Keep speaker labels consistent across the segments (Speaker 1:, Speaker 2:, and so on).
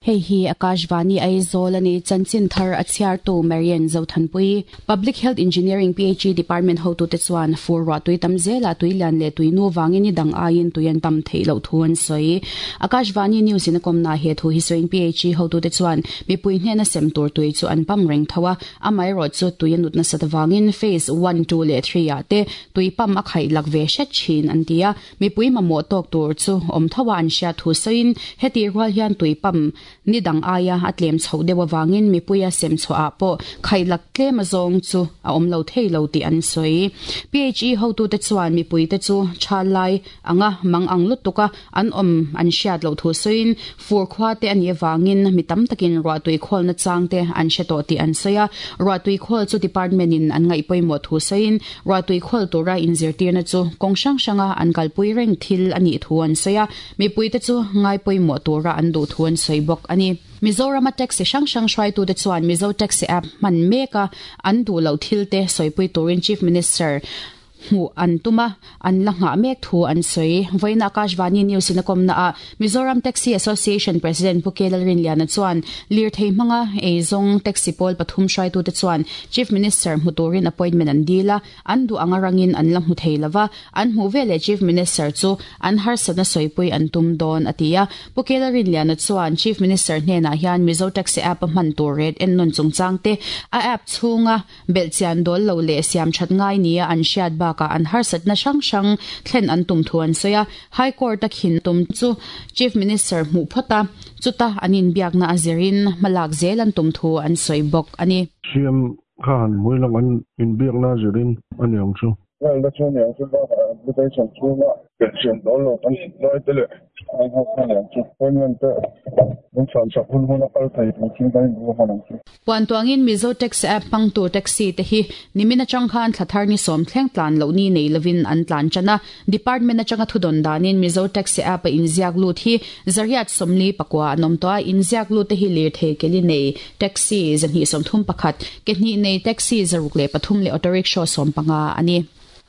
Speaker 1: Hei hi Akashvani Aizawl a ni, chanchin thar a chhiartu Marian Zothanpui. Public Health Engineering, PHE, Department hotute chuan fur ruah tui tam zelah tui lian leh tui nu vangin ni dang aiin tui an pam theih loh thu an sawi. Akashvani News in a kawmna he thu hi sawiin PHE hotute chuan mipui hnena sem tur tui chu an pam reng tho a, amaherawhchu tui a nut nasat avangin Phase one, two leh three ah te tui pam a khaih lak ve hret thin an ti a. Mipui mamawh tawk tur chu awm tho a an hriat thu sawiin hetih rual hian tui pump ni dang aia a tlem chhoh deuh avangin mipuia sem chhuahah pawh khaihlak tlem azawng chu a awm lo thei lo tih an sawi. PHE hotute chuan mipuite chu tha lai anga mang ang lutuk a an awm an hriat loh thu sawiin fur khua te a nih avangin mi tam takin ruahtui khawlna chang te an hre tawh tih an sawi a. Ruahtui khawl chu department in an ngaih pawimawh thu sawiin Ruahtui khawl tura inzirtirna chu kawng hrang hranga an kalpui reng thil a nih thu an sawi a, mipuite chu ngai pawimawh tura an duh thu an sawi bawk a ni. Mizorama taxi hrang hrang hruaitute chuan Mizo Taxi App hman meka an duh loh thilte sawipui turin Chief Minister hmuh an tum a, an la nghah mek thu an sawi. Vawiin Akashvani News in a kawmna ah Mizoram Taxi Association President Pu K Lalrinliana chuan lirthei hmanga eizawng taxi pawl pathum hruaitute chuan Chief Minister hmu turin appointment an dil a, an duh anga rangin an la hmu thei lova, an hmuh veleh Chief Minister chu an harsatna sawipui an tum dawn a ti a. Pu K Lalrinliana chuan Chief Minister hnenah hian Mizo Taxi App a hman tur ret ennawn chungchang te, a app chhunga Belhchian dawl lo leh siam that ngai nia an hriat bakah an harsatna hrang hrang thlen an tum thu an sawi a. High Court a khin tum chu Chief Minister hmuh phawt a, chuta an inbiakna a zirin hmalak zel an tum thu an sawi bawk a ni.
Speaker 2: CM kha han hmui lang an inbiakna a zirin a ni ang chu.
Speaker 3: Lalna chu a ni ang chu bakah application chhunga belhchian dawl lo kan tih lai te leh an ho kha a ni ang chu. Appointment te min chhan sak hun hun a kal thei tur chu kan inbu hman ang chu.
Speaker 1: Puan tuangin Mizo Taxi App hmangtu taxi te hi nimin atang khan thla thar ni sawm thleng tlan loh ni nei lovin an tlan tan a. Department atanga thudawn danin Mizo Taxi App a inziak lut hi zariat 44 an awm tawh a, inziak lut te hi lirthei keli nei taxi 231, ke hnih nei taxi 603 leh auto rickshaw 15 a ni.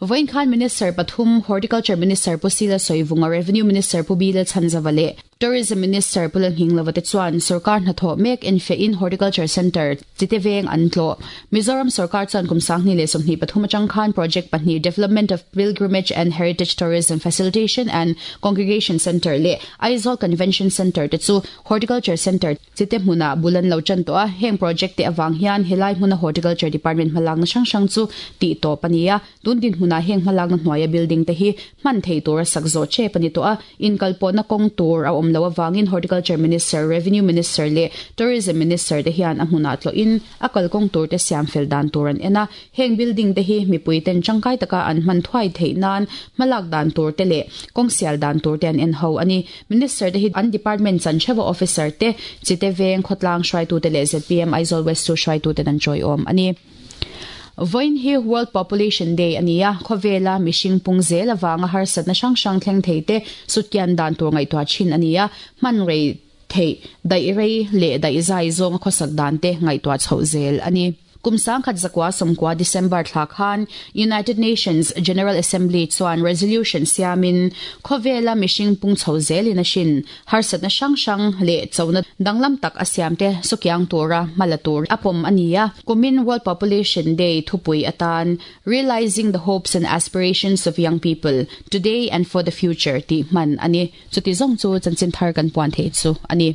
Speaker 1: Vawiin khan Minister pathum, Horticulture Minister Pu Sila Sawivunga, Revenue Minister Pu Bilal Chhanzava leh Tourism Minister Pu Lalnghinglova te chuan sorkar hnathawh mek enfiahin Horticulture Centre chite veng an tlawh. Mizoram sorkar chuan kum 2023 atang khan project pahnih Development of Pilgrimage and Heritage Tourism Facilitation and Congregation Centre leh Aizawl Convention Centre te chu Horticulture Centre Chite hmunah bul an lo tan tawh a, heng project te avang hian helai hmuna Horticulture Department hmalakna hrang hrang chu tih tawp a ni a. Tun dinhmunah heng hmalakna hnuaia building te hi hman thei tura sak zawh tep a ni tawh a, inkalpawhna kawng tur a awm loh avangin Horticulture Minister, Revenue Minister leh Tourism Minister te hian a hmunah tlawhin a kalkawng tur te siam fel dan tur an en a. Heng building te hi mipui ten tangkai taka an hman thuai theih nan hmalak dan tur te leh kawng sial dan tur te an en ho a ni. Minister te hi an department chan theuha officer te, Chite Veng khawtlang hruaitute leh zpm Aizawl West chu hruaituten an tawiawm a ni. Vawiin hi World Population Day a ni a, khawvela mihring pung zel avanga harsatna hrang hrang thleng thei te sutkian dan tur ngaihtuah thin a ni a, hman rei theih, daih rei leh daih zai zawnga khawsak dan te ngaihtuah chhoh zel a ni. Kum 1990 December thla khan United Nations General Assembly chuan resolution siamin khawvela mihring pung chho zelin a hrin harsatna hrang hrang leh chona danglam tak a siamte sukiang tura hma la tur a pawm a ni a. Kumin World Population Day thupui atan Realising the Hopes and Aspirations of Young People, Today and for the Future tih hman a ni. Chuti zawng chu chanchin thar kan puan theih chu a ni.